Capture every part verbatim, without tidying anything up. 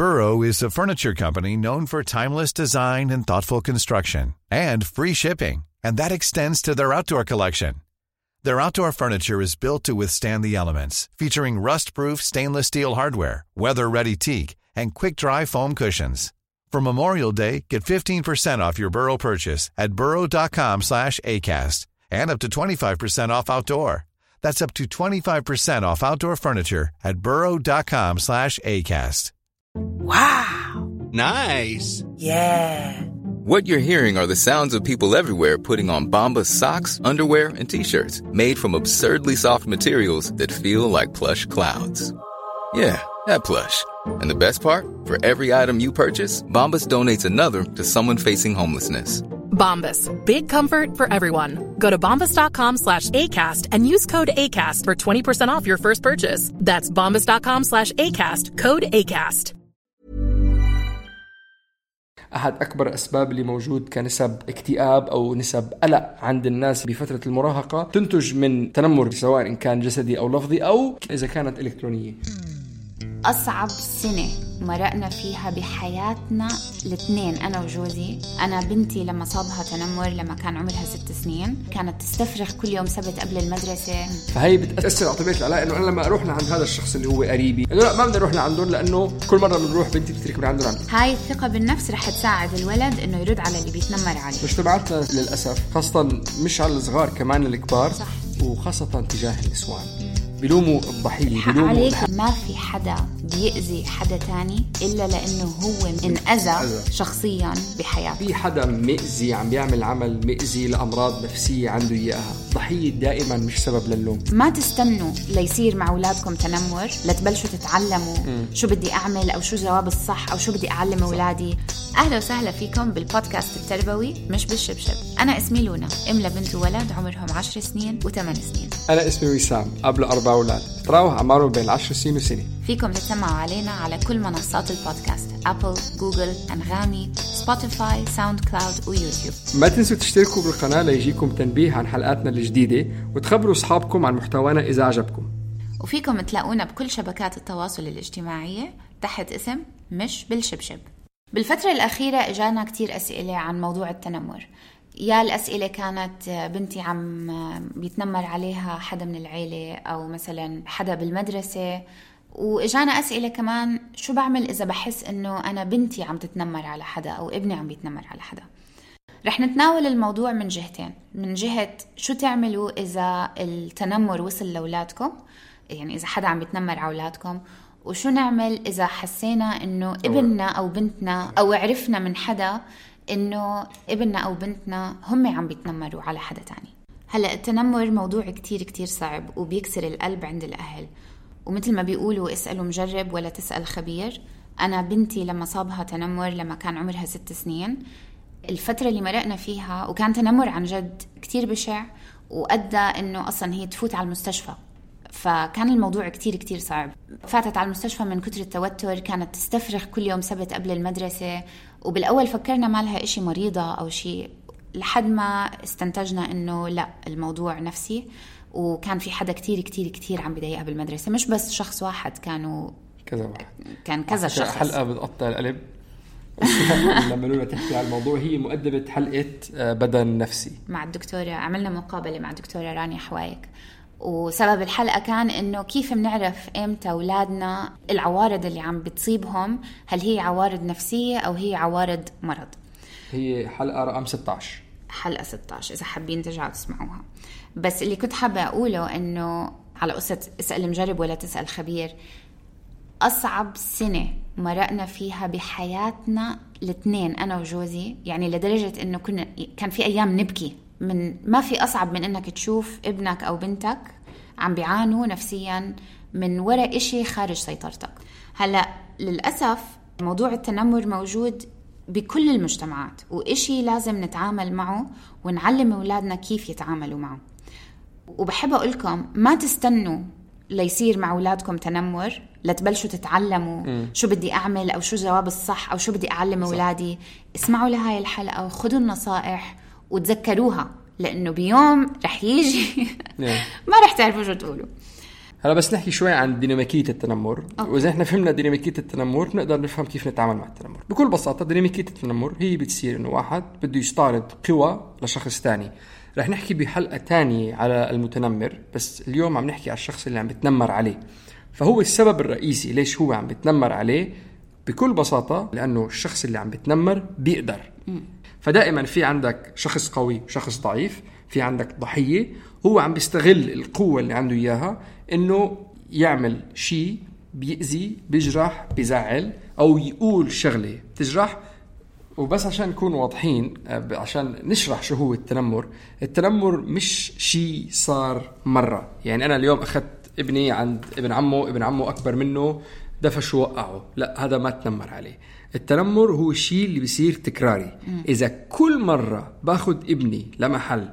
Burrow is a furniture company known for timeless design and thoughtful construction, and free shipping, and that extends to their outdoor collection. Their outdoor furniture is built to withstand the elements, featuring rust-proof stainless steel hardware, weather-ready teak, and quick-dry foam cushions. For Memorial Day, get fifteen percent off your Burrow purchase at burrow.com slash ACAST and up to twenty-five percent off outdoor. That's up to twenty-five percent off outdoor furniture at burrow.com slash ACAST. Wow! Nice! Yeah! What you're hearing are the sounds of people everywhere putting on Bombas socks, underwear, and T-shirts made from absurdly soft materials that feel like plush clouds. Yeah, that plush. And the best part? For every item you purchase, Bombas donates another to someone facing homelessness. Bombas. Big comfort for everyone. Go to bombas.com slash ACAST and use code ACAST for twenty percent off your first purchase. That's bombas.com slash ACAST. Code ACAST. أحد أكبر أسباب اللي موجود كنسب اكتئاب أو نسب قلق عند الناس بفترة المراهقة تنتج من تنمر، سواء إن كان جسدي أو لفظي أو إذا كانت إلكترونية. أصعب سنة مرقنا فيها بحياتنا الاثنين أنا وجوزي. أنا بنتي لما صابها تنمر لما كان عمرها ست سنين كانت تستفرغ كل يوم سبت قبل المدرسة. فهي بتأثر على طبيعة العلاقة، إنه أنا لما أروح لعند هذا الشخص اللي هو قريبي إنه لا ما بدي أروح لعندهم، لأنه كل مرة بنروح بنتي بتترك من عندهم عندهم. هاي الثقة بالنفس رح تساعد الولد إنه يرد على اللي بيتنمر عليه. مجتمعاتنا للأسف خاصة مش على الصغار كمان الكبار، صح. وخاصة تجاه النسوان بيلوموا الضحية، بيلوموا عليك. ما في حدا بيأذي حدا تاني إلا لأنه هو انأذى شخصيا بحياته. في حدا مئزي عم بيعمل عمل مئزي لأمراض نفسية عنده إياها. ضحية دائما مش سبب للوم. ما تستنوا ليصير مع أولادكم تنمر لتبلشوا تتعلموا م. شو بدي أعمل أو شو جواب الصح أو شو بدي أعلم أولادي. أهلا وسهلا فيكم بالبودكاست التربوي مش بالشبشب. أنا اسمي لونا، إملا بنت وولد عمرهم عشر سنين وثمان سنين. أنا اسمي وسام، قبل أربع أولاد، تراوح أعمارهم بين العشر سنين وسنة. فيكم تسمعوا علينا على كل منصات البودكاست: أبل، جوجل، أنغامي، سبوتيفاي، ساوند كلاود ويوتيوب. ما تنسوا تشتركوا بالقناة ليجيكم تنبيه عن حلقاتنا الجديدة، وتخبروا أصحابكم عن محتوانا إذا عجبكم. وفيكم تلاقونا بكل شبكات التواصل الاجتماعية تحت اسم مش بالشبشب. بالفترة الأخيرة إجانا كتير أسئلة عن موضوع التنمر. يا الأسئلة كانت بنتي عم بيتنمر عليها حدا من العيلة أو مثلا حدا بالمدرسة، وإجانا أسئلة كمان شو بعمل إذا بحس إنه أنا بنتي عم تتنمر على حدا أو ابني عم بيتنمر على حدا. رح نتناول الموضوع من جهتين، من جهة شو تعملوا إذا التنمر وصل لأولادكم، يعني إذا حدا عم بيتنمر على أولادكم، وشو نعمل إذا حسينا إنه ابننا أو بنتنا أو عرفنا من حدا إنه ابننا أو بنتنا هم عم بيتنمروا على حدا تاني. هلأ التنمر موضوع كتير كتير صعب وبيكسر القلب عند الأهل، ومثل ما بيقولوا اسألوا مجرب ولا تسأل خبير. أنا بنتي لما صابها تنمر لما كان عمرها ست سنين، الفترة اللي مرقنا فيها وكان تنمر عن جد كتير بشع وأدى إنه أصلا هي تفوت على المستشفى، فكان الموضوع كتير كتير صعب. فاتت على المستشفى من كتر التوتر، كانت تستفرغ كل يوم سبت قبل المدرسة، وبالأول فكرنا ما لها إشي مريضة أو شيء، لحد ما استنتجنا إنه لا، الموضوع نفسي، وكان في حدا كتير كتير كتير عم بيضايقها بالمدرسة، مش بس شخص واحد، كانوا كذا واحد، كان كذا شخص. حلقة بتقطع القلب لما لولا تحكي على الموضوع. هي مؤدبة حلقة بدن نفسي مع الدكتورة، عملنا مقابلة مع الدكتورة رانيا حوايك، وسبب الحلقة كان إنه كيف بنعرف إمتى أولادنا العوارض اللي عم بتصيبهم هل هي عوارض نفسية أو هي عوارض مرض. هي حلقة رقم ستة عشر، حلقة ستة عشر إذا حابين ترجعوا تسمعوها. بس اللي كنت حابة أقوله إنه على قصة اسأل مجرب ولا تسأل خبير، أصعب سنة مرقنا فيها بحياتنا الاثنين أنا وجوزي، يعني لدرجة إنه كنا كان في أيام نبكي من ما في أصعب من إنك تشوف ابنك أو بنتك عم بيعانوا نفسيا من وراء إشي خارج سيطرتك. هلأ للأسف موضوع التنمر موجود بكل المجتمعات، وإشي لازم نتعامل معه ونعلم أولادنا كيف يتعاملوا معه. وبحب أقولكم ما تستنوا ليصير مع أولادكم تنمر لتبلشوا تتعلموا م. شو بدي أعمل أو شو جواب الصح أو شو بدي أعلم أولادي. اسمعوا لهاي الحلقة وخذوا النصائح وتذكروها، لأنه بيوم رح يجي ما رح تعرفوا شو تقولوا. هلا بس نحكي شوي عن ديناميكية التنمر. أوكي. وإذا إحنا فهمنا ديناميكية التنمر نقدر نفهم كيف نتعامل مع التنمر. بكل بساطة ديناميكية التنمر هي بتصير إنه واحد بده يستعرض قوة لشخص تاني. رح نحكي بحلقة تانية على المتنمر، بس اليوم عم نحكي على الشخص اللي عم بتنمر عليه. فهو السبب الرئيسي ليش هو عم بتنمر عليه بكل بساطة لأنه الشخص اللي عم بتنمر بيقدر. فدائما في عندك شخص قوي وشخص ضعيف، في عندك ضحية هو عم بيستغل القوة اللي عنده إياها إنه يعمل شيء بيأذي بيجرح بيزعل أو يقول شغلة بتجرح. وبس عشان نكون واضحين، عشان نشرح شو هو التنمر. التنمر مش شيء صار مرة، يعني أنا اليوم أخذت ابني عند ابن عمه، ابن عمه أكبر منه دفش ووقعه، لا هذا ما تنمر عليه. التنمر هو الشيء اللي بيصير تكراري. إذا كل مرة باخد ابني لمحل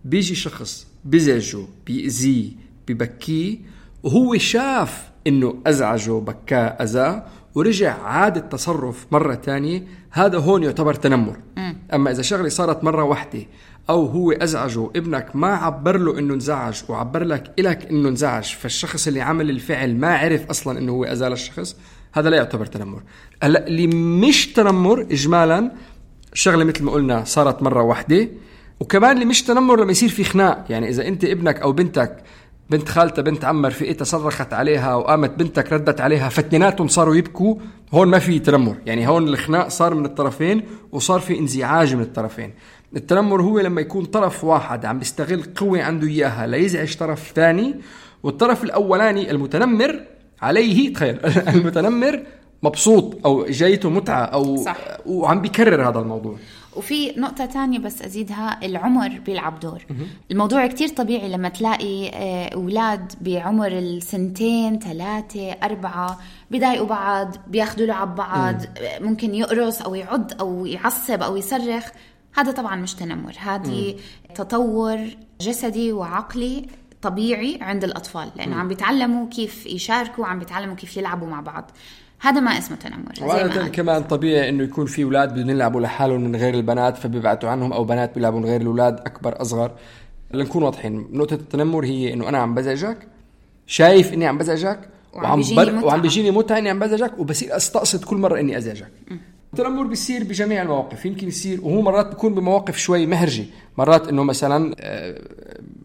بيجي شخص بزعجه بيأذيه ببكيه وهو شاف إنه أزعجه بكاه أذاه ورجع عاد التصرف مرة تانية، هذا هون يعتبر تنمر. م. أما إذا شغلة صارت مرة واحدة أو هو أزعجه ابنك ما عبر له إنه انزعج وعبر لك إلك إنه انزعج، فالشخص اللي عمل الفعل ما عرف أصلا إنه هو أزال الشخص، هذا لا يعتبر تنمر. هلا اللي مش تنمر إجمالا شغلة مثل ما قلنا صارت مرة واحدة. وكمان اللي مش تنمر لما يصير في خناق، يعني إذا أنت ابنك أو بنتك بنت خالته بنت عمر في إيتها صرخت عليها وقامت بنتك ردت عليها فاتنيناتهم صاروا يبكوا، هون ما في تنمر. يعني هون الخناق صار من الطرفين وصار في انزعاج من الطرفين. التنمر هو لما يكون طرف واحد عم بيستغل قوة عنده إياها ليزعج طرف ثاني، والطرف الأولاني المتنمر عليه تخيل المتنمر مبسوط أو جايته متعة أو صح. وعم بيكرر هذا الموضوع. وفي نقطة تانية بس أزيدها، العمر بيلعب دور. الموضوع كتير طبيعي لما تلاقي أولاد بعمر السنتين ثلاثة أربعة بيضايقوا بعض، بياخدوا لعب بعض، ممكن يقرص أو يعض أو يعصب أو يصرخ. هذا طبعا مش تنمر، هذه تطور جسدي وعقلي طبيعي عند الأطفال، لأنه عم بيتعلموا كيف يشاركوا، عم بيتعلموا كيف يلعبوا مع بعض. هذا ما اسمه تنمر. وعادة كمان طبيعي إنه يكون في أولاد بدهم يلعبوا لحالهم من غير البنات فبيبعتوا عنهم، أو بنات بيلعبوا من غير الأولاد أكبر أصغر. لنكون واضحين، نقطة التنمر هي إنه أنا عم بزعجك، شايف إني عم بزعجك وعم بيجيني وعم بيجيني متعة إني عم بزعجك وبصير أستقصد كل مرة إني أزعجك. التنمر بيصير بجميع المواقف، يمكن يصير وهو مرات بيكون بمواقف شوي مهرجة. مرات إنه مثلا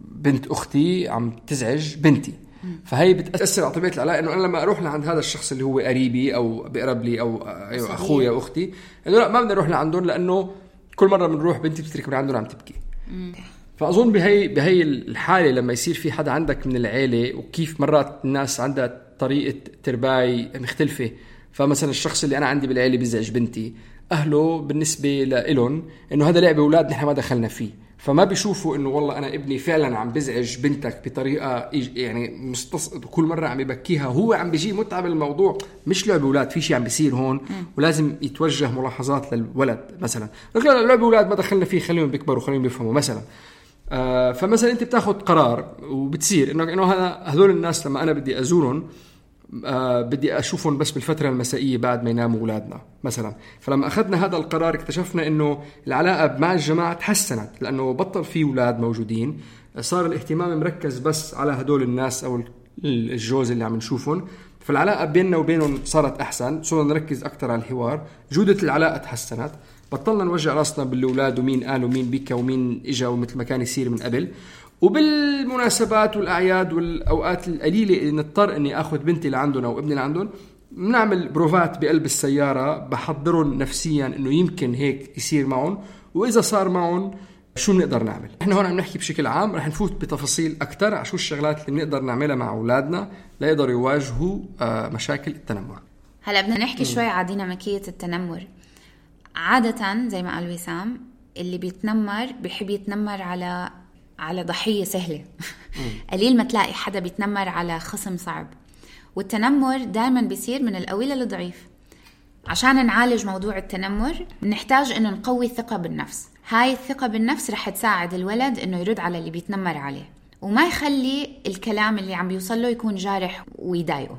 بنت أختي عم تزعج بنتي، فهي بتأثر على طبيعة العلاقة. إنه أنا لما أروح لعند هذا الشخص اللي هو قريبي أو بقرب لي أو أيوة أخويا وأختي، إنه لا ما بدنا نروح لعندهم لأنه كل مرة بنروح بنتي بتترك من عندهم عم تبكي. فأظن بهي بهي الحالة لما يصير في حدا عندك من العيلة، وكيف مرات الناس عندها طريقة ترباي مختلفة. فمثلا الشخص اللي أنا عندي بالعيلة بيزعج بنتي، أهله بالنسبة لإلهم إنه هذا لعبة أولاد نحن ما دخلنا فيه، فما بيشوفوا إنه والله أنا ابني فعلا عم بزعج بنتك بطريقة يعني مستصعد وكل مرة عم يبكيها، هو عم بيجي متعة بالموضوع، مش لعبة أولاد، في شيء عم بيصير هون ولازم يتوجه ملاحظات للولد. مثلا لا لعبة أولاد ما دخلنا فيه، خليهم بيكبروا خليهم بيفهموا مثلا. آه فمثلا أنت بتاخد قرار وبتصير إنه إنه هذا هذول الناس لما أنا بدي أزورهم آه بدي أشوفهم بس بالفترة المسائية بعد ما يناموا أولادنا مثلا. فلما أخذنا هذا القرار اكتشفنا إنه العلاقة مع الجماعة تحسنت، لأنه بطل في أولاد موجودين، صار الاهتمام مركز بس على هدول الناس أو الجوز اللي عم نشوفهم، فالعلاقة بيننا وبينهم صارت أحسن، صرنا نركز أكتر على الحوار، جودة العلاقة تحسنت، بطلنا نوجع راسنا بالأولاد ومين قال ومين بيكا ومين إجا ومثل ما كان يصير من قبل. وبالمناسبات والأعياد والأوقات القليلة نضطر أني أخذ بنتي لعندهم أو ابني لعندهم، نعمل بروفات بقلب السيارة بحضرهم نفسيا أنه يمكن هيك يصير معهم، وإذا صار معهم شو بنقدر نعمل. إحنا هون عم نحكي بشكل عام، رح نفوت بتفاصيل أكتر على شو الشغلات اللي بنقدر نعملها مع أولادنا ليقدروا يواجهوا مشاكل التنمر. هلأ بدنا نحكي شوي على ديناميكية التنمر. عادة زي ما قال وسام، اللي بيتنمر بيحب يتنمر على على ضحية سهلة. قليل ما تلاقي حدا بيتنمر على خصم صعب. والتنمر دائما بيصير من القوي للضعيف. عشان نعالج موضوع التنمر نحتاج انه نقوي الثقة بالنفس. هاي الثقة بالنفس رح تساعد الولد انه يرد على اللي بيتنمر عليه، وما يخلي الكلام اللي عم بيوصله يكون جارح ويضايقه.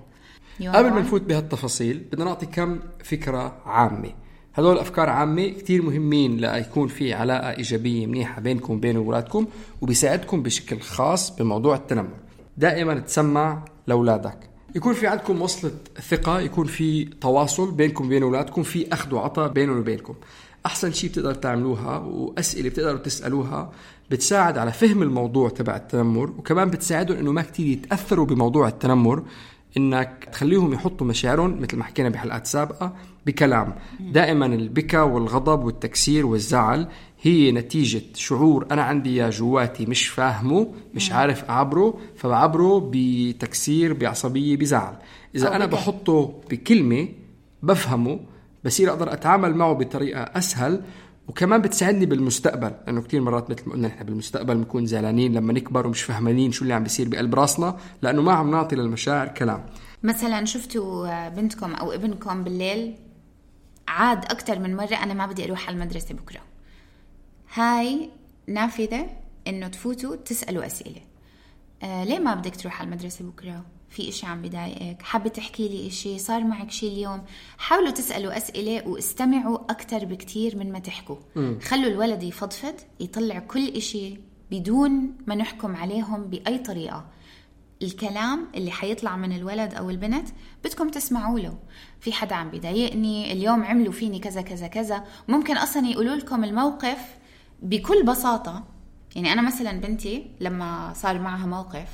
قبل ما نفوت بهالتفاصيل بدنا نعطي كم فكرة عامة. هذول أفكار عامة كتير مهمين ليكون في علاقة إيجابية منيحة بينكم وبين أولادكم، وبيساعدكم بشكل خاص بموضوع التنمر. دائما تسمع لأولادك. يكون في عندكم وصلة ثقة، يكون في تواصل بينكم وبين أولادكم، في أخذ وعطاء بينهم وبينكم. أحسن شيء بتقدر تعملوها وأسئلة بتقدروا تسألوها بتساعد على فهم الموضوع تبع التنمر، وكمان بتساعدهم إنه ما كتير يتأثروا بموضوع التنمر، إنك تخليهم يحطوا مشاعرهم مثل ما حكينا بحلقات سابقة بكلام. دائما البكا والغضب والتكسير والزعل هي نتيجة شعور أنا عندي يا جواتي مش فاهمه، مش عارف أعبره، فبعبره بتكسير، بعصبية، بزعل. إذا أنا بحطه بكلمة بفهمه، بصير أقدر أتعامل معه بطريقة أسهل، وكمان بتساعدني بالمستقبل، لأنه كتير مرات مثل ما قلنا نحن بالمستقبل بنكون زعلانين لما نكبر ومش فهمانين شو اللي عم بيصير بقلب راسنا، لأنه ما عم نعطي للمشاعر كلام. مثلا شفتوا بنتكم أو ابنكم بالليل عاد أكتر من مرة أنا ما بدي أروح على المدرسة بكرة، هاي نافذة إنه تفوتوا تسألوا أسئلة. آه ليه ما بدك تروح على المدرسة بكرة؟ في إشي عم بضايقك؟ حابة تحكي لي إشي؟ صار معك شي اليوم؟ حاولوا تسألوا أسئلة واستمعوا أكتر بكتير من ما تحكوا. م. خلوا الولد يفضفض، يطلع كل إشي بدون ما نحكم عليهم بأي طريقة. الكلام اللي حيطلع من الولد أو البنت بدكم تسمعوا له. في حدا عم بيضايقني اليوم، عملوا فيني كذا كذا كذا. ممكن أصلا يقولوا لكم الموقف بكل بساطة. يعني أنا مثلا بنتي لما صار معها موقف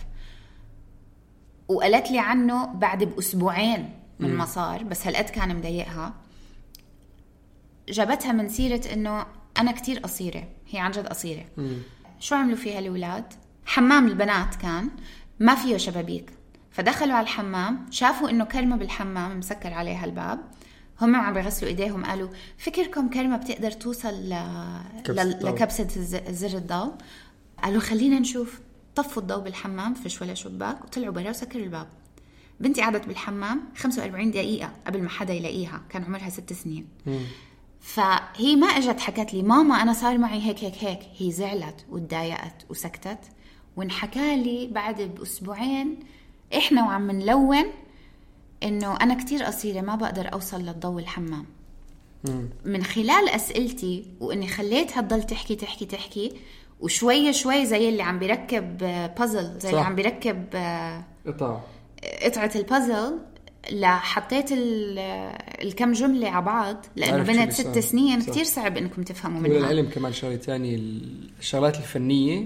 وقالت لي عنه بعد بأسبوعين من ما صار، بس هالقد كان مضايقها، جابتها من سيرة إنه أنا كتير قصيرة. هي عن جد قصيرة. مم. شو عملوا فيها الأولاد؟ حمام البنات كان ما فيه شبابيك، فدخلوا على الحمام، شافوا إنه كرمة بالحمام مسكر عليها الباب، هم عم بيغسلوا إيديهم، قالوا فكركم كرمة بتقدر توصل ل... ل... لكبسة زر الضوء؟ قالوا خلينا نشوف. طفوا الضوء بالحمام، فيش ولا شباك، وطلعوا برا وسكروا الباب. بنتي قعدت بالحمام خمسة وأربعين دقيقة قبل ما حدا يلاقيها، كان عمرها ست سنين. مم. فهي ما اجت حكت لي ماما أنا صار معي هيك هيك هيك، هي زعلت وتضايقت وسكتت، وانحكى لي بعد بأسبوعين إحنا وعم نلون إنه أنا كتير قصيرة ما بقدر أوصل للضوء الحمام. مم. من خلال أسئلتي وإني خليتها تضل تحكي تحكي تحكي، وشوية شوي زي اللي عم بيركب بازل، زي اللي عم بيركب قطعة قطعة البازل، لحطيت الكم جملة على بعض، لأنه بنت ست سنين صح. كتير صعب إنكم تفهموا منها. والعلم كمان شغلة تانية، الشغلات الفنية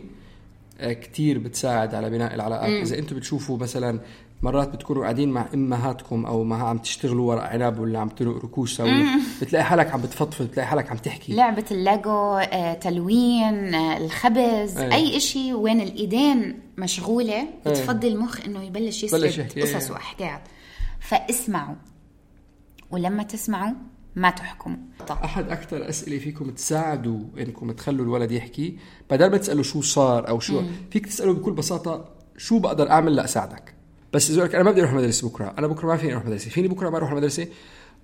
كتير بتساعد على بناء العلاقات. م. إذا أنتوا بتشوفوا مثلا مرات بتكونوا قاعدين مع أمهاتكم أو ما عم تشتغلوا ورق عنب ولا عم تلقوا ركوش سوي، بتلاقي حالك عم بتفضفض، بتلاقي حالك عم تحكي. لعبة الليجو، آه، تلوين، آه، الخبز، أيه. أي إشي وين الإيدين مشغولة بتفضي المخ إنه يبلش يسرد قصص وأحكام. فاسمعوا، ولما تسمعوا ما تحكموا. أحد أكتر أسئلة فيكم تساعدوا إنكم تخلوا الولد يحكي، بدل ما تسألوا شو صار أو شو، مم. فيك تسألوا بكل بساطة شو بقدر أعمل لأساعدك. بس إذا لك أنا ما بدي أروح مدرسة بكرة، أنا بكرة ما فيني أروح مدرسة، فيني بكرة ما أروح المدرسة،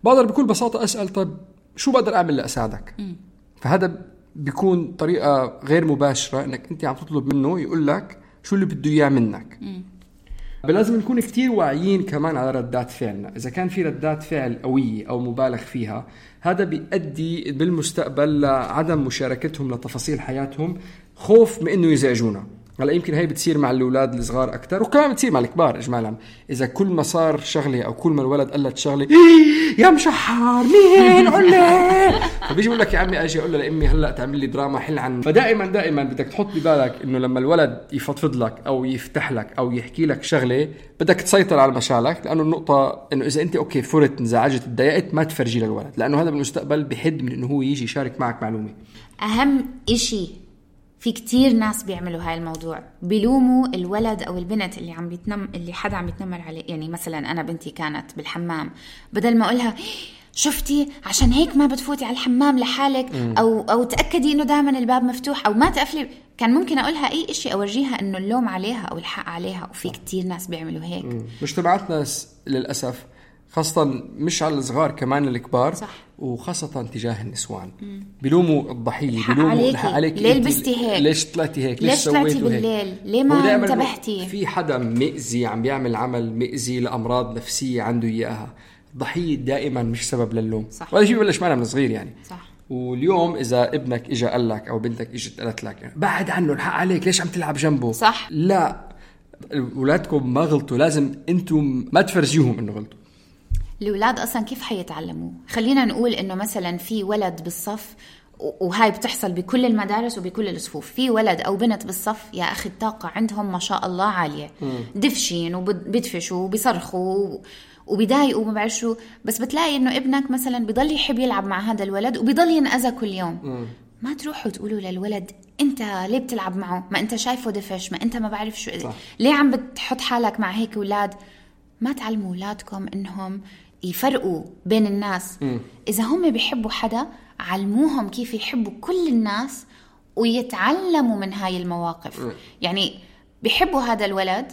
بقدر بكل بساطة أسأل طب شو بقدر أعمل لأساعدك. مم. فهذا بيكون طريقة غير مباشرة إنك أنت عم تطلب منه يقول لك شو اللي بده إياه منك. مم. لازم نكون كتير واعيين كمان على ردات فعلنا. إذا كان في ردات فعل قوية أو مبالغ فيها، هذا بيؤدي بالمستقبل لعدم مشاركتهم لتفاصيل حياتهم، خوف من إنه يزعجونا. هلا يمكن هاي بتصير مع الأولاد الصغار أكتر، وكمان بتصير مع الكبار إجمالا. إذا كل ما صار شغلة أو كل ما الولد قلت شغلة إيه يا مشحر مين قولي، فبيجي يقول لك يا عمي أجي أقول له لأمي هلأ تعمل لي دراما حل عن. فدائما دائما بدك تحط ببالك إنه لما الولد يفضفض لك أو يفتح لك أو يحكي لك شغلة، بدك تسيطر على مشاعرك، لأنه النقطة إنه إذا أنت أوكي فرت انزعجت اتضايقت ما تفرجي للولد، لأنه هذا بالمستقبل بحد من إنه هو يجي يشارك معك معلومة. أهم إشي في كتير ناس بيعملوا هاي الموضوع، بيلوموا الولد أو البنت اللي عم بيتنم اللي حدا عم يتنمر عليه. يعني مثلا أنا بنتي كانت بالحمام، بدل ما أقولها شفتي عشان هيك ما بتفوتي على الحمام لحالك، م. أو أو تأكدي إنه دائما الباب مفتوح أو ما تقفلي، كان ممكن أقولها أي إشي أورجيها إنه اللوم عليها أو الحق عليها. وفي كتير ناس بيعملوا هيك. مجتمعاتنا للأسف خاصة مش على الصغار كمان الكبار، صح. وخاصة تجاه النسوان مم. بيلوموا الضحية، بيلوموا الحق عليك، ليه لبستي هيك، ليش طلعتي هيك، ليش طلعتي بالليل، ليه ما انتبهتي. في حدا مئزي عم بيعمل عمل مئزي لأمراض نفسية عنده إياها. الضحية دائما مش سبب للوم، وهذا شيء ببلش معنا من صغير يعني. صح. واليوم إذا ابنك إجا قال لك أو بنتك إجت قالت لك بعد عنه الحق عليك ليش عم تلعب جنبه، صح. لا أولادكم ما غلطوا لازم أنتم ما تفرجيهم إنه غلطوا. الأولاد أصلا كيف حيتعلموا؟ خلينا نقول إنه مثلا في ولد بالصف، وهاي بتحصل بكل المدارس وبكل الصفوف، في ولد أو بنت بالصف يا أخي الطاقة عندهم ما شاء الله عالية، دفشين وبدفشوا وبيصرخوا وبيضايقوا وما بعرف شو، بس بتلاقي إنه ابنك مثلا بيضل يحب يلعب مع هذا الولد وبيضل ينأذى كل يوم. م. ما تروحوا تقولوا للولد أنت ليه بتلعب معه؟ ما أنت شايفه دفش، ما أنت ما بعرف شو، صح. ليه عم بتحط حالك مع هيك أولاد؟ ما تعلموا أولادكم إنهم يفرقوا بين الناس. م. إذا هم بيحبوا حدا علموهم كيف يحبوا كل الناس ويتعلموا من هاي المواقف. م. يعني بيحبوا هذا الولد،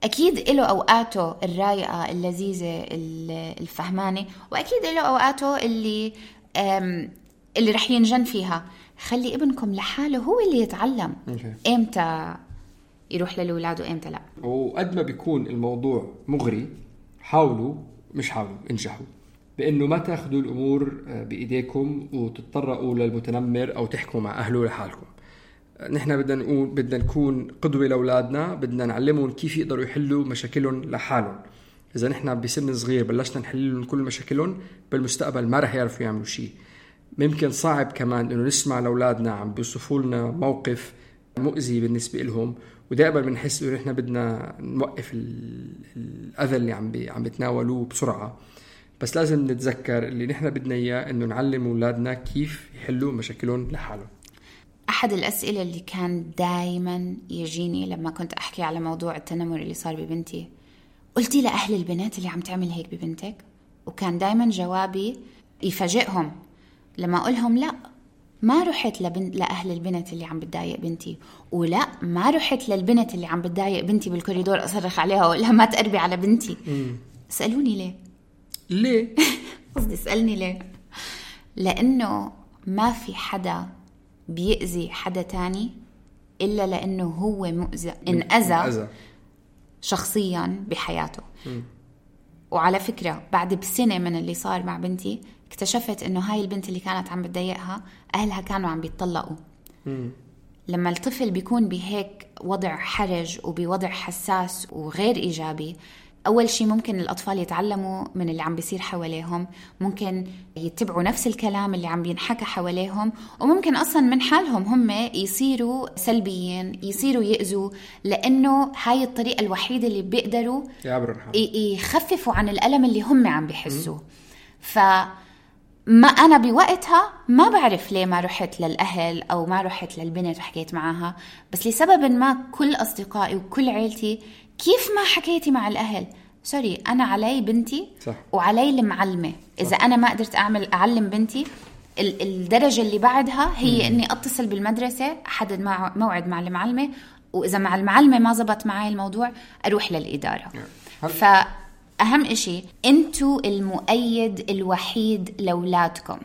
أكيد له أوقاته الرايقة اللذيذة الفهمانة، وأكيد له أوقاته اللي اللي رح ينجن فيها. خلي ابنكم لحاله هو اللي يتعلم okay. إمتى يروح للأولاد وإمتى لا. وقد ما بيكون الموضوع مغري حاولوا مش حاولوا انجحوا بأنه ما تأخذوا الأمور بإيديكم وتتطرقوا للمتنمر أو تحكوا مع أهله لحالكم. نحن بدنا نقول بدنا نكون قدوة لأولادنا، بدنا نعلمهم كيف يقدروا يحلوا مشاكلهم لحالهم. إذا نحن بسن صغير بلشنا نحللهم كل مشاكلهم، بالمستقبل ما رح يعرفوا يعملوا شيء. ممكن صعب كمان إنه نسمع لأولادنا عم بيوصفوا لنا موقف مؤذي بالنسبة لهم، ودائما بنحس إنه نحن بدنا نوقف الأذى اللي عم بي عم بتناولوه بسرعة. بس لازم نتذكر اللي نحن بدنا إياه إنه نعلم أولادنا كيف يحلوا مشاكلهم لحالهم. أحد الأسئلة اللي كان دايما يجيني لما كنت أحكي على موضوع التنمر اللي صار ببنتي، قلتي لأهل البنات اللي عم تعمل هيك ببنتك؟ وكان دايما جوابي يفاجئهم لما أقولهم لا ما رحت لبن... لأهل البنت اللي عم بتضايق بنتي، ولا ما رحت للبنت اللي عم بتضايق بنتي بالكوريدور أصرخ عليها وأقولها ما تقربي على بنتي. مم. سألوني ليه؟ ليه؟ قصدي سألني ليه؟ لأنه ما في حدا بيأذي حدا تاني إلا لأنه هو مؤذى انأذى شخصيا بحياته. م. وعلى فكرة بعد بسنة من اللي صار مع بنتي اكتشفت إنه هاي البنت اللي كانت عم بتضايقها أهلها كانوا عم بيتطلقوا. م. لما الطفل بيكون بهيك وضع حرج وبوضع حساس وغير إيجابي، أول شيء ممكن الأطفال يتعلموا من اللي عم بيصير حواليهم، ممكن يتبعوا نفس الكلام اللي عم بينحكى حواليهم، وممكن أصلا من حالهم هم يصيروا سلبيين، يصيروا يأذوا، لأنه هاي الطريقة الوحيدة اللي بيقدروا يخففوا عن الألم اللي هم عم بيحسوه. فما أنا بوقتها ما بعرف ليه ما رحت للأهل أو ما رحت للبنت وحكيت معها، بس لسبب ما كل أصدقائي وكل عيلتي كيف ما حكيتي مع الأهل؟ سوري، أنا علي بنتي صح. وعلي المعلمة. إذا صح. أنا ما قدرت أعمل أعلم بنتي، الدرجة اللي بعدها هي مم. إني أتصل بالمدرسة أحدد مع موعد مع المعلمة، وإذا مع المعلمة ما زبط معي الموضوع أروح للإدارة. yeah. فأهم إشي أنتوا المؤيد الوحيد لأولادكم.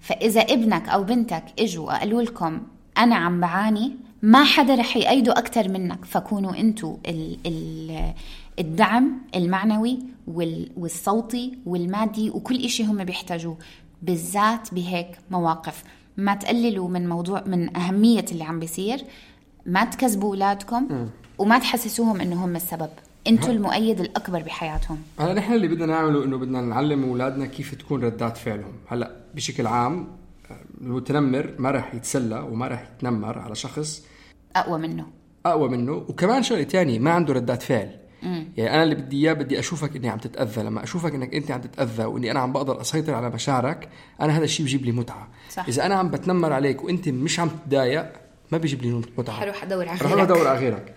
فإذا ابنك أو بنتك إجوا وقالوا لكم أنا عم بعاني، ما حدا رح يأيدوا أكتر منك، فكونوا أنتوا ال ال الدعم المعنوي والصوتي والمادي وكل إشي هم بيحتاجوه، بالذات بهيك مواقف. ما تقللوا من موضوع من أهمية اللي عم بيصير، ما تكذبوا أولادكم وما تحسسوهم إنه هم السبب، أنتوا المؤيد الأكبر بحياتهم. هلا نحن اللي بدنا نعمله إنه بدنا نعلم أولادنا كيف تكون ردات فعلهم. هلا بشكل عام المتنمر ما رح يتسلى وما رح يتنمر على شخص أقوى منه أقوى منه وكمان شغلة تاني ما عنده ردات فعل. مم. يعني أنا اللي بدي إياه بدي أشوفك إني عم تتأذى. لما أشوفك إنك أنت عم تتأذى وإني أنا عم بقدر أسيطر على مشاعرك، أنا هذا الشيء بيجيب لي متعة. صح. إذا أنا عم بتنمر عليك وأنت مش عم تتضايق ما بيجيب لي متعة، حروح أدور على غيرك حروح أدور على غيرك.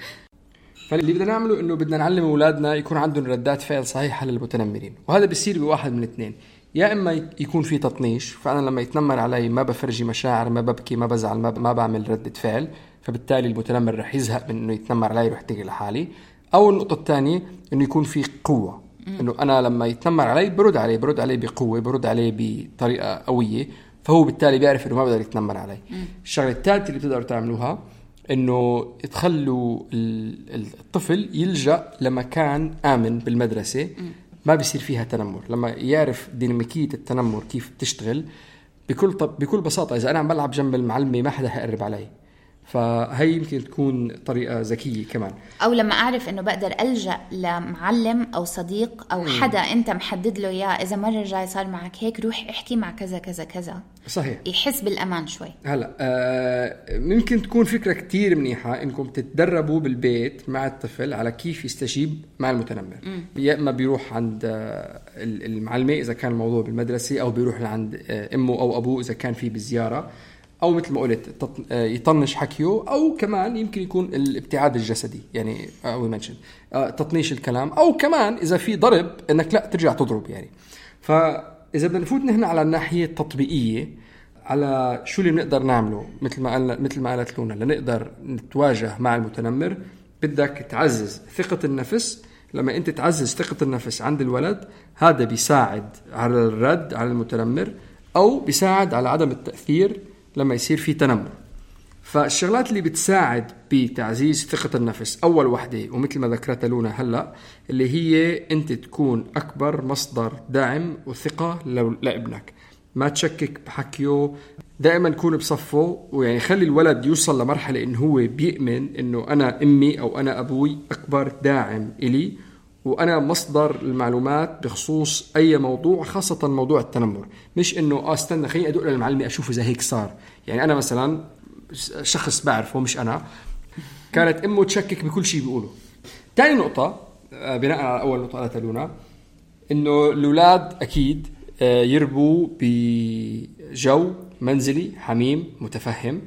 فاللي بدنا نعمله إنه بدنا نعلم أولادنا يكون عندهم ردات فعل صحيحة للمتنمرين، وهذا بيصير بواحد من الاثنين. يا إما يكون في تطنيش، فأنا لما يتنمر علي ما بفرجي مشاعر، ما ببكي، ما بزعل، ما, ب... ما بعمل ردة فعل، فبالتالي المتنمر رح يزهق من إنه يتنمر علي ويروح تجي لحالي. أو النقطة الثانية إنه يكون في قوة، إنه أنا لما يتنمر علي برد عليه برد عليه بقوة، برد عليه بطريقة قوية، فهو بالتالي بيعرف إنه ما بقدر يتنمر علي. الشغلة الثالثة اللي بتقدروا تعملوها إنه تخلوا الطفل يلجأ لمكان آمن بالمدرسة ما بيصير فيها تنمر. لما يعرف ديناميكية التنمر كيف بتشتغل بكل طب بكل بساطة، إذا أنا عم بلعب جنب المعلمة ما حدا هيقرب علي، فهي يمكن تكون طريقة ذكية كمان. أو لما أعرف إنه بقدر ألجأ لمعلم أو صديق أو حدا أنت محدد له إياه، إذا مرة جاي صار معك هيك روح احكي مع كذا كذا كذا. صحيح. يحس بالأمان شوي. هلا آه ممكن تكون فكرة كتير منيحة إنكم تتدربوا بالبيت مع الطفل على كيف يستجيب مع المتنمر. يا إما بيروح عند آه المعلمة إذا كان الموضوع بالمدرسة، أو بيروح لعند آه أمه أو أبوه إذا كان فيه بالزيارة، أو مثل ما قلت يطنش حكيه، أو كمان يمكن يكون الابتعاد الجسدي يعني أو يمنشن تطنيش الكلام، أو كمان إذا في ضرب إنك لا ترجع تضرب يعني. فإذا بدنا نفوت نحن على الناحية التطبيقية على شو اللي بنقدر نعمله مثل ما قال مثل ما قالت لونا لنقدر نتواجه مع المتنمر، بدك تعزز ثقة النفس. لما أنت تعزز ثقة النفس عند الولد هذا بيساعد على الرد على المتنمر، أو بيساعد على عدم التأثير لما يصير في تنمر. فالشغلات اللي بتساعد بتعزيز ثقة النفس أول وحدة، ومثل ما ذكرت لونا هلأ، اللي هي أنت تكون أكبر مصدر دعم وثقة لابنك، ما تشكك بحكيه، دائما كون بصفه، ويعني خلي الولد يوصل لمرحلة إنه هو بيؤمن إنه أنا أمي أو أنا أبوي أكبر داعم إلي، وأنا مصدر المعلومات بخصوص أي موضوع، خاصة موضوع التنمر. مش إنه آه استنى خليني أدق للمعلمة أشوف إذا هيك صار. يعني أنا مثلا شخص بعرفه مش أنا، كانت أمه تشكك بكل شيء بيقوله. تاني نقطة بناء على أول نقطة قالتها لونا، إنه الأولاد أكيد يربوا بجو منزلي حميم متفهم،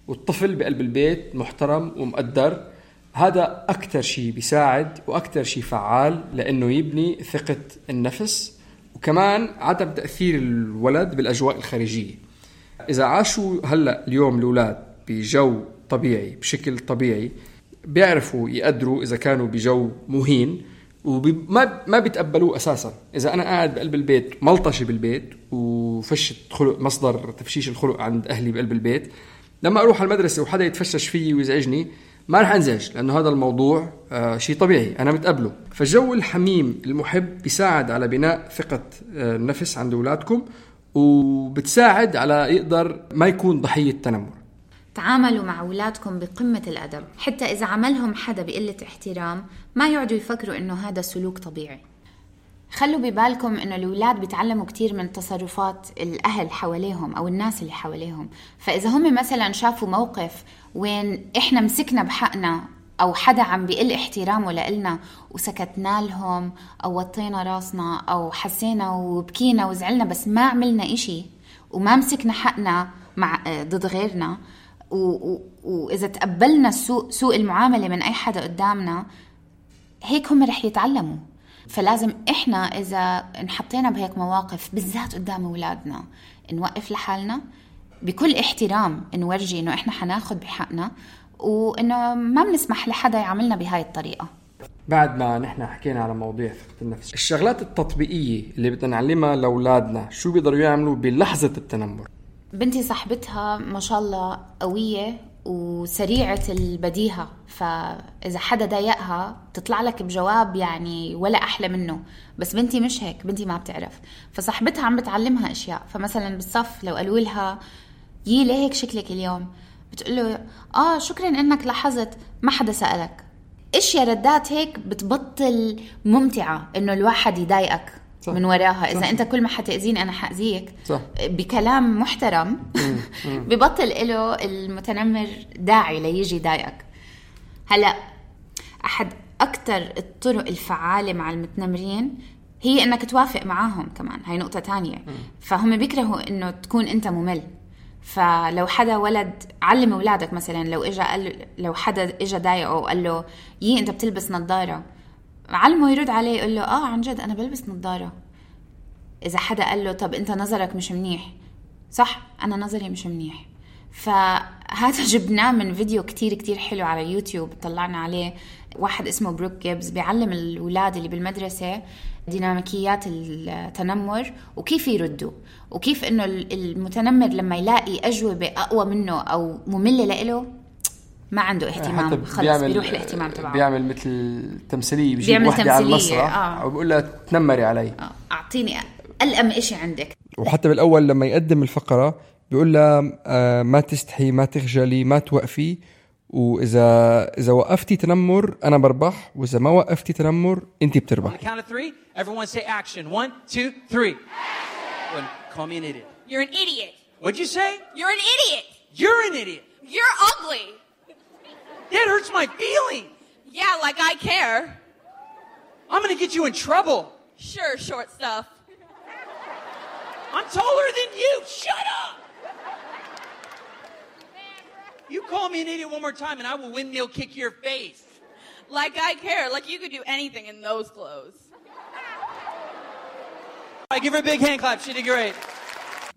والطفل بقلب البيت محترم ومقدر. هذا أكتر شيء بيساعد وأكتر شيء فعال لأنه يبني ثقة النفس، وكمان عدم تأثير الولد بالأجواء الخارجية. إذا عاشوا هلأ اليوم الأولاد بجو طبيعي بشكل طبيعي، بيعرفوا يقدروا إذا كانوا بجو مهين، وما ما بيتقبلوه أساسا. إذا أنا قاعد بقلب البيت ملطشي بالبيت وفشت خلق، مصدر تفشيش الخلق عند أهلي بقلب البيت، لما أروح على المدرسة وحدا يتفشش فيي ويزعجني ما رح أنزعج، لأنه هذا الموضوع آه شيء طبيعي أنا متقبله. فالجو الحميم المحب بيساعد على بناء ثقة آه النفس عند أولادكم، وبتساعد على يقدر ما يكون ضحية تنمر. تعاملوا مع أولادكم بقمة الأدب، حتى إذا عملهم حدا بقلة احترام ما يقعدوا يفكروا إنه هذا سلوك طبيعي. خلوا ببالكم إنه الأولاد بيتعلموا كتير من تصرفات الأهل حواليهم أو الناس اللي حواليهم. فإذا هم مثلا شافوا موقف وين إحنا مسكنا بحقنا أو حدا عم بيقل احترامه لإلنا وسكتنا لهم أو وطينا راسنا أو حسينا وبكينا وزعلنا بس ما عملنا إشي وما مسكنا حقنا مع ضد غيرنا، وإذا تقبلنا سوء, سوء المعاملة من أي حدا قدامنا، هيك هم رح يتعلموا. فلازم إحنا إذا انحطينا بهيك مواقف بالذات قدام أولادنا نوقف لحالنا بكل احترام، نورجي إنه إحنا حناخد بحقنا وإنه ما بنسمح لحدا يعملنا بهاي الطريقة. بعد ما نحن حكينا على مواضيع ثقة النفس، الشغلات التطبيقية اللي بدنا نعلمها لأولادنا شو بيقدروا يعملوا بلحظة التنمر. بنتي صاحبتها ما شاء الله قوية وسريعة البديهة، فإذا حدا ضايقها تطلع لك بجواب يعني ولا أحلى منه. بس بنتي مش هيك، بنتي ما بتعرف. فصاحبتها عم بتعلمها أشياء، فمثلا بالصف لو قالوا لها يي ليه هيك شكلك اليوم، بتقول له آه شكرا إنك لاحظت، ما حدا سألك. إيش يا ردات هيك بتبطل ممتعة إنه الواحد يضايقك صح. من وراها إذا صح. أنت كل ما حتأذيني أنا حأذيك صح. بكلام محترم ببطل إله المتنمر داعي ليجي ضايقك. هلأ أحد أكتر الطرق الفعالة مع المتنمرين هي إنك توافق معاهم كمان، هاي نقطة تانية. فهم بيكرهوا إنه تكون أنت ممل. فلو حدا ولد علم أولادك مثلا، لو إجا قال لو حدا إجا ضايقه وقال له يي أنت بتلبس نظارة، علمه يرد عليه يقول له آه عن جد أنا بلبس نظارة. إذا حدا قال له طب أنت نظرك مش منيح، صح أنا نظري مش منيح. فهذا جبناه من فيديو كتير كتير حلو على يوتيوب، طلعنا عليه واحد اسمه بروك جيبز بيعلم الأولاد اللي بالمدرسة ديناميكيات التنمر وكيف يردوا، وكيف إنه المتنمر لما يلاقي أجوبة أقوى منه أو مملة لإله ما عنده اهتمام، خلص بيروح الاهتمام تبعه. بيعمل مثل تمثيلية، بيجيب واحدة على المسرح آه. وبيقول لها تنمري علي آه. أعطيني ألأم إشي عندك. وحتى بالأول لما يقدم الفقرة بيقول لها آه ما تستحي، ما تخجلي، ما توقفي، وإذا إذا وقفتي تنمر أنا بربح، وإذا ما وقفتي تنمر أنتي بتربح. On the count of three, everyone say action. One, two, three. Action. Call me an idiot. You're an idiot. What'd you say? You're an idiot. You're an idiot. You're ugly. That hurts my feelings. Yeah, like I care. I'm going to get you in trouble. Sure, short stuff. I'm taller than you. Shut up. You call me an idiot one more time and I will windmill kick your face. Like I care. Like you could do anything in those clothes. All right, give her a big hand clap. She did great.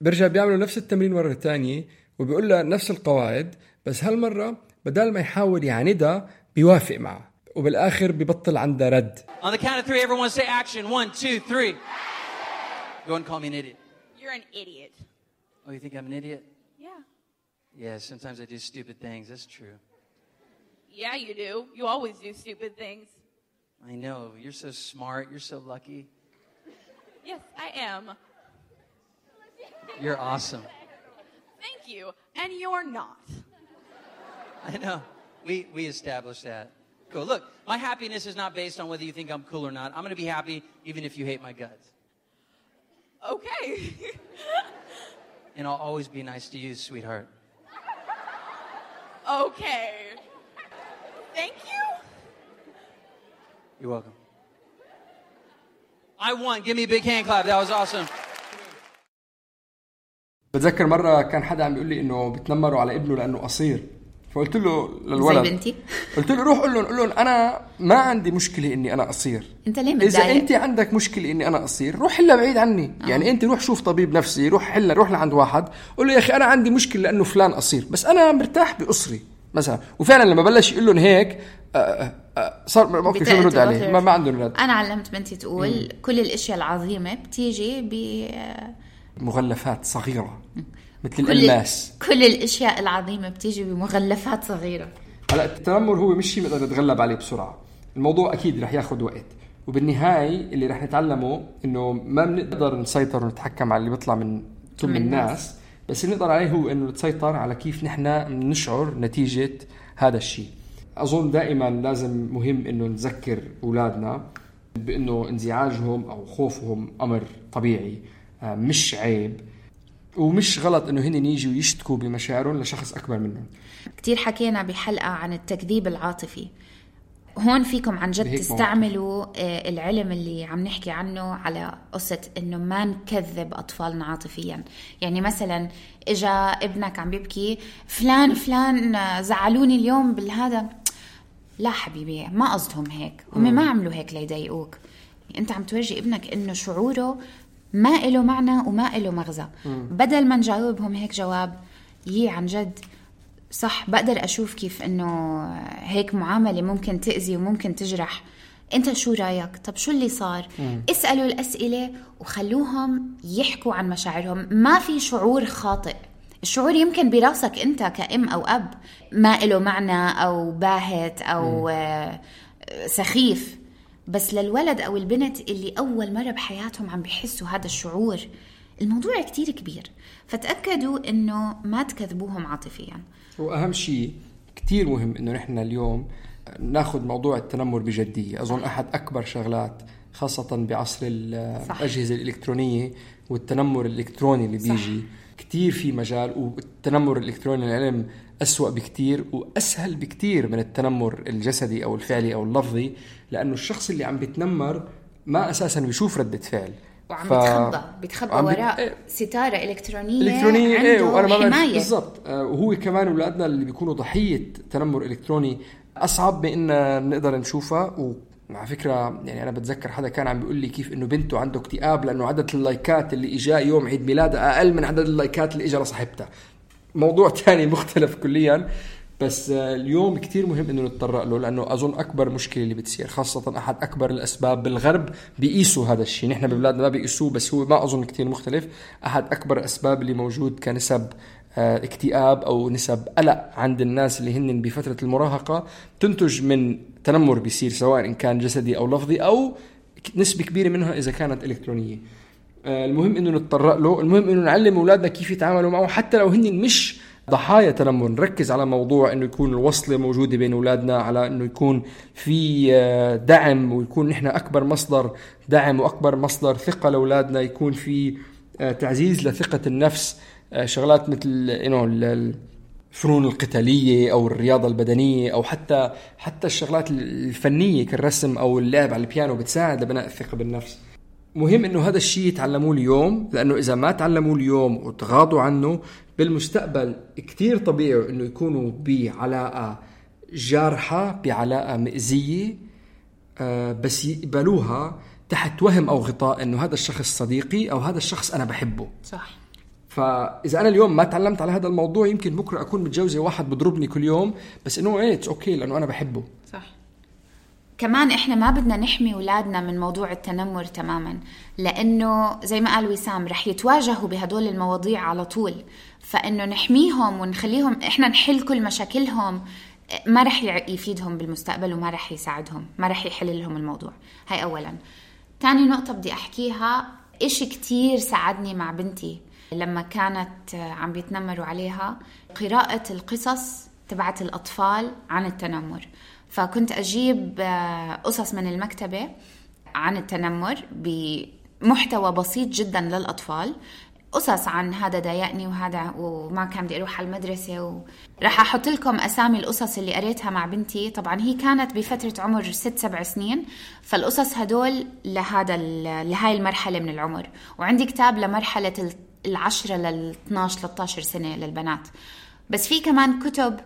برجع بيعملوا نفس التمرين مرة تانية وبيقول لها نفس القواعد، بس هالمرة بدل ما يحاول يعاندها بيوافق معها، وبالآخر بيبطل عندها رد. On the count of three, everyone say action. One, two, three. Go and call me an idiot. You're an idiot. Oh, you think I'm an idiot? Yeah. Yeah, sometimes I do stupid things. That's true. Yeah, you do. You always do stupid things. I know. You're so smart. You're so lucky. Yes, I am. You're awesome. Thank you. And you're not. I know. We we established that. Cool. Look, my happiness is not based on whether you think I'm cool or not. I'm going to be happy even if you hate my guts. Okay. And I'll always be nice to you, sweetheart. Okay. Thank you. You're welcome. I won. Give me a big hand clap. That was awesome. بتذكر مرة كان حدا عم بيقول لي إنه بتنمروا على ابنه لأنه قصير، فقلت له للولد زي بنتي قلت له روح قل لهم قل لهم أنا ما عندي مشكلة إني أنا قصير. أنت ليه متضايق؟ إذا أنت عندك مشكلة إني أنا قصير روح حلها بعيد عني. آه. يعني أنت روح شوف طبيب نفسي، روح حلها، روح لعند واحد قل له يا أخي أنا عندي مشكلة لأنه فلان قصير، بس أنا مرتاح بقصري مثلا. وفعلا لما بلش يقول لهم هيك آه آه صار ما شو برد عليه، ما, ما عندهم رد. أنا علمت بنتي تقول مم. كل الأشياء العظيمة بتيجي ب مغلفات صغيرة مثل كل الألماس. كل الأشياء العظيمة بتيجي بمغلفات صغيرة. هلا التنمر هو مش شيء نقدر نتغلب عليه بسرعة، الموضوع أكيد رح ياخد وقت، وبالنهاية اللي رح نتعلمه إنه ما بنقدر نسيطر ونتحكم على اللي بيطلع من كل الناس، بس اللي نقدر عليه هو إنه نسيطر على كيف نحنا نشعر نتيجة هذا الشيء. أظن دائما لازم مهم إنه نذكر أولادنا بإنه انزعاجهم أو خوفهم أمر طبيعي، مش عيب ومش غلط إنه هن يجوا يشتكوا بمشاعرهم لشخص أكبر منهم. كتير حكينا بحلقة عن التكذيب العاطفي، هون فيكم عن جد تستعملوا العلم اللي عم نحكي عنه على قصة إنه ما نكذب أطفالنا عاطفيا. يعني مثلا إجا ابنك عم بيبكي فلان فلان زعلوني اليوم بالهذا، لا حبيبي ما قصدهم هيك، هم ما عملوا هيك ليضايقوك. أنت عم تورجي ابنك إنه شعوره ما إله معنى وما إله مغزى. بدل ما نجاوبهم هيك جواب يي عن جد صح، بقدر أشوف كيف إنه هيك معاملة ممكن تأذي وممكن تجرح. أنت شو رأيك؟ طب شو اللي صار؟ مم. اسألوا الأسئلة وخلوهم يحكوا عن مشاعرهم. ما في شعور خاطئ، الشعور يمكن براسك أنت كأم أو أب ما إله معنى أو باهت أو مم. سخيف، بس للولد أو البنت اللي أول مرة بحياتهم عم بيحسوا هذا الشعور الموضوع كتير كبير. فتأكدوا إنه ما تكذبوهم عاطفيا. وأهم شيء كتير مهم إنه نحن اليوم ناخد موضوع التنمر بجدية. أظن أحد أكبر شغلات خاصة بعصر الأجهزة الإلكترونية والتنمر الإلكتروني اللي بيجي صح. كتير في مجال، والتنمر الإلكتروني العلم أسوأ بكتير وأسهل بكتير من التنمر الجسدي أو الفعلي أو اللفظي، لأنه الشخص اللي عم بيتنمر ما أساساً بيشوف ردة فعل وعم ف... بيتخبى بيتخبى وراء إيه. ستارة إلكترونية, إلكترونية عنده إيه. وأنا حماية بالضبط. وهو كمان أولادنا اللي بيكونوا ضحية تنمر إلكتروني أصعب بإن نقدر نشوفها. ومع فكرة يعني أنا بتذكر حدا كان عم بيقول لي كيف إنه بنته عنده اكتئاب لأنه عدد اللايكات اللي إجا يوم عيد ميلادها أقل من عدد اللايكات اللي إجا لصاحبتها. موضوع تاني مختلف كليا، بس اليوم كتير مهم إنه نتطرق له، لأنه أظن أكبر مشكلة اللي بتصير خاصة أحد أكبر الأسباب بالغرب بيقيسوا هذا الشيء، نحن ببلادنا ما بيقيسوه بس هو ما أظن كتير مختلف. أحد أكبر الأسباب اللي موجود كنسب اكتئاب أو نسب قلق عند الناس اللي هن بفترة المراهقة تنتج من تنمر بيصير سواء إن كان جسدي أو لفظي أو نسبة كبيرة منها إذا كانت إلكترونية. المهم إنه نتطرق له، المهم إنه نعلم أولادنا كيف يتعاملوا معه حتى لو هن مش ضحايا تنمر نركز على موضوع انه يكون الوصلة موجودة بين اولادنا، على انه يكون في دعم، ويكون نحن اكبر مصدر دعم واكبر مصدر ثقة لاولادنا، يكون في تعزيز لثقة النفس، شغلات مثل انه الفنون القتالية او الرياضة البدنية او حتى حتى الشغلات الفنية كالرسم او اللعب على البيانو بتساعد لبناء الثقة بالنفس. مهم انه هذا الشيء يتعلموه اليوم، لانه اذا ما تعلموه اليوم وتغاضوا عنه بالمستقبل كتير طبيعي انه يكونوا بعلاقة جارحة، بعلاقة مئزية، آه بس يقبلوها تحت وهم او غطاء انه هذا الشخص صديقي او هذا الشخص انا بحبه. صح. فاذا انا اليوم ما تعلمت على هذا الموضوع، يمكن بكره اكون متجوزة واحد بضربني كل يوم، بس انه ايه اوكي لانه انا بحبه. صح. كمان إحنا ما بدنا نحمي أولادنا من موضوع التنمر تماماً، لأنه زي ما قال وسام رح يتواجهوا بهدول المواضيع على طول، فإنه نحميهم ونخليهم إحنا نحل كل مشاكلهم ما رح يفيدهم بالمستقبل وما رح يساعدهم، ما رح يحل لهم الموضوع. هاي أولاً. تاني نقطة بدي أحكيها، إشي كتير ساعدني مع بنتي لما كانت عم بيتنمروا عليها، قراءة القصص تبعت الأطفال عن التنمر. فكنت أجيب قصص من المكتبة عن التنمر بمحتوى بسيط جدا للأطفال، قصص عن هذا ضايقني وهذا وما كان بدي أروح على المدرسة، وراح أحط لكم أسامي القصص اللي قريتها مع بنتي. طبعا هي كانت بفترة عمر ست سبع سنين، فالقصص هدول لهذا لهاي المرحلة من العمر، وعندي كتاب لمرحلة العشرة للاثناش ثلاثة سنة للبنات. بس في كمان كتب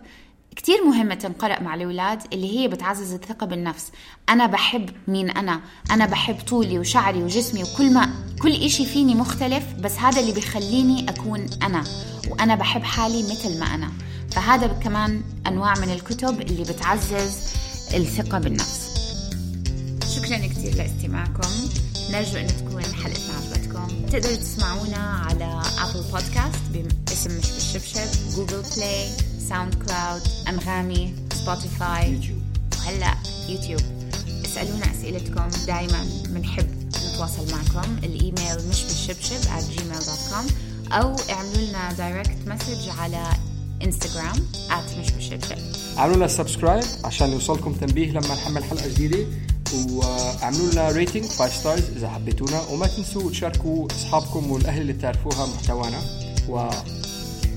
كتير مهمة تنقرأ مع الأولاد اللي هي بتعزز الثقة بالنفس. أنا بحب مين أنا أنا بحب طولي وشعري وجسمي وكل ما كل إشي فيني مختلف، بس هذا اللي بيخليني أكون أنا، وأنا بحب حالي مثل ما أنا. فهذا كمان أنواع من الكتب اللي بتعزز الثقة بالنفس. شكرا كتير لاستماعكم، نرجو أن تكون حلقتنا عجبتكم. تقدروا تسمعونا على أبل بودكاست باسم مش بالشبشب، جوجل بلاي، ساوند كلاود، أنغامي، سبوتيفاي، يوتيوب. وهلأ يوتيوب. اسألونا أسئلتكم، دايما بنحب نتواصل معكم. الإيميل مش بالشبشب at gmail dot com، أو اعملوا لنا دايركت مسج على إنستغرام at مش بالشبشب. اعملوا لنا سبسكرايب عشان يوصلكم تنبيه لما نحمل حلقة جديدة، واعملوا لنا ريتنج خمسة ستارز إذا حبيتونا، وما تنسوا تشاركوا أصحابكم والأهل اللي بتعرفوها محتوانا. و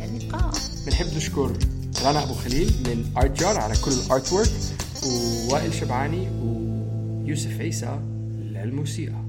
اللقاء. بنحب نشكر رنا أبو خليل من آرت جار على كل الارت وورك، ووائل شبعاني ويوسف عيسى للموسيقى.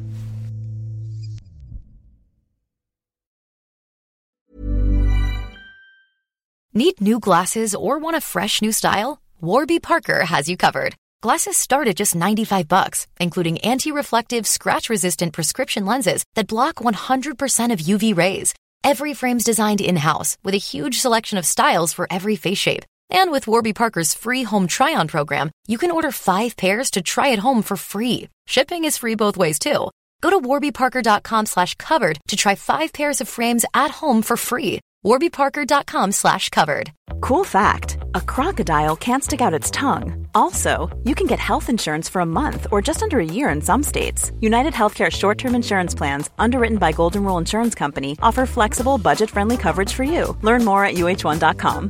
Need new glasses or want a fresh new style? Warby Parker has you covered. Glasses start at just ninety-five bucks, including anti-reflective, scratch-resistant prescription lenses that block one hundred percent of U V rays. Every frame's designed in-house with a huge selection of styles for every face shape. And with Warby Parker's free home try-on program, you can order five pairs to try at home for free. Shipping is free both ways, too. Go to warby parker dot com slash covered to try five pairs of frames at home for free. warby parker dot com slash covered. Cool fact, a crocodile can't stick out its tongue. Also, you can get health insurance for a month or just under a year in some states. United Healthcare short-term insurance plans, underwritten by Golden Rule Insurance Company, offer flexible, budget-friendly coverage for you. Learn more at U H one dot com.